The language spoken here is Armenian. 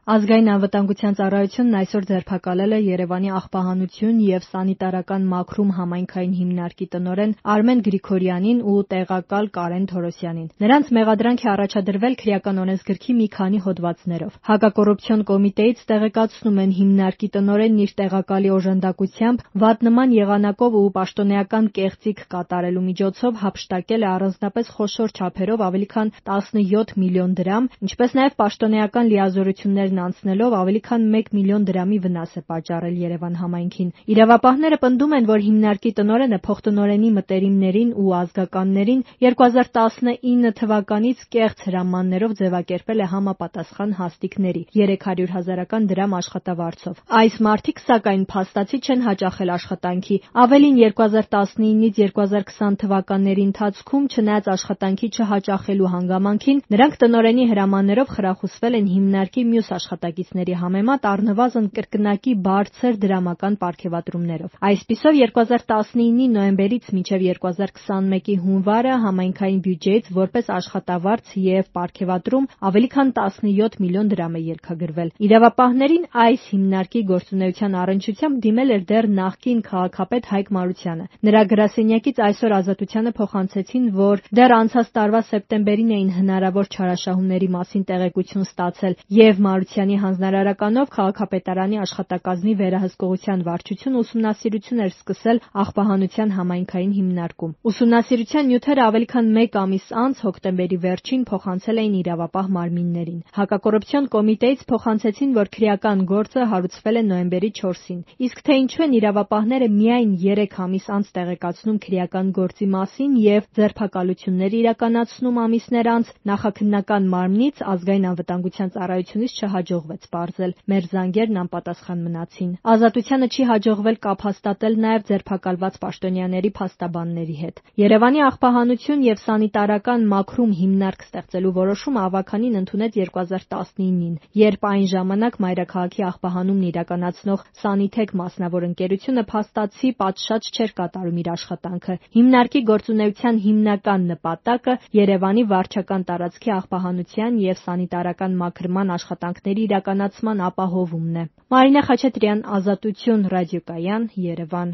Ազգային անվտանգության ծառայությունն այսօր ձերբակալել է Երևանի աղբահանություն և սանիտարական մաքրում համայնքային հիմնարկի տնօրեն Արմեն Գրիգորյանին ու տեղակալ Կարեն Թորոսյանին։ Նրանց մեղադրանք է առաջադրվել քրեական օրենսգրքի մի քանի հոդվածներով։ Հակակոռուպցիոն կոմիտեից տեղեկացնում են, հիմնարկի տնօրենն իր տեղակալի օժանդակությամբ վատնման եղանակով ու պաշտոնեական կեղծիք կատարելու միջոցով հափշտակել է առանձնապես խոշոր չափերով ավելի քան 17 միլիոն դրամ, ինչպես նաև պաշտոնեական լիազորություններ անցնելով ավելի քան 1 միլիոն դրամի վնաս է պատճառել Երևան համայնքին։ Իրավապահները պնդում են, որ հիմնարկի տնօրենը փոխտնօրենի մտերիմներին ու ազգականներին 2019 թվականից կեղծ հրամաններով ձևակերպել է համապատասխան հաստիքների 300,000 դրամ աշխատավարձով։ Այս մարդիկ, սակայն, փաստացի չեն հաճախել աշխատանքի։ Ավելին, 2019-ից 2020 թվականների ընթացքում, չնայած աշխատանքի չհաճախելու հանգամանքին, նրանք տնօրենի հրամաններով խրախուսվել են հիմնարկի մյուս աշխատակիցների համեմատ առնվազն կրկնակի բարձր դրամական պարգևատրումներով։ Այսպիսով, 2019-ի նոյեմբերից մինչև 2021-ի հունվարը համայնքային բյուջեից որպես աշխատավարձ և պարգևատրում ավելի քան 17 միլիոն դրամ է ելքագրվել։ Իրավապահներին այս հիմնարկի գործունեության առնչությամբ դիմել էր դեռ նախկին քաղաքապետ Հայկ Մարությանը։ Նրա գրասենյակից այսօր Ազատությանը փոխանցեցին, որ դեռ անցած տարվա սեպտեմբերին էին հնարավոր չարաշահումների մասին տեղեկություն ստացել և Մարությանի հանձնարարականով քաղաքապետարանի աշխատակազմի վերահսկողության վարչությունը ուսումնասիրություն էր սկսել աղբահանության համայնքային հիմնարկում։ Ուսումնասիրության նյութերը ավելի քան մեկ ամիս անց, հոկտեմբերի վերջին, փոխանցել էին իրավապահ մարմիններին։ Հակակոռուպցիոն կոմիտեից փոխանցեցին, որ քրեական գործը հարուցվել է նոյեմբերի 4-ին։ Իսկ թե ինչու են իրավապահները միայն 3 ամիս անց տեղեկացնում քրեական գործի մասին և ձերբակալություններ իրականացնում ամիսներ անց, նախաքննական մարմնից Ազգային անվտանգության ծառայությունից չհաջողվեց պարզել։ Մեր զանգերն անպատասխան մնացին։ Ազատությանը չի հաջողվել կապ հաստատել նաև ձերբակալված պաշտոնյաների փաստաբանների հետ։ Երևանի աղբահանություն և սանիտարական մաքրում հիմնարկ ստեղծելու որոշումը ավագանին ընդունեց 2019-ին, երբ այն ժամանակ մայրաքաղաքի աղբահանումն իրականացնող Սանիթեք մասնավոր ընկերությունը փաստացի պատշաճ չէր կատարում իր աշխատանքը։ Հիմնարկի գործունեության հիմնական նպատակը Երևանի վարչական տարածքի աղբահանության և սանիտարական մաքրման աշխատանքների իրականացման ապահովումն է։ Մարինե Խաչատրյան, Ազատություն ռադիոկայան, Երևան։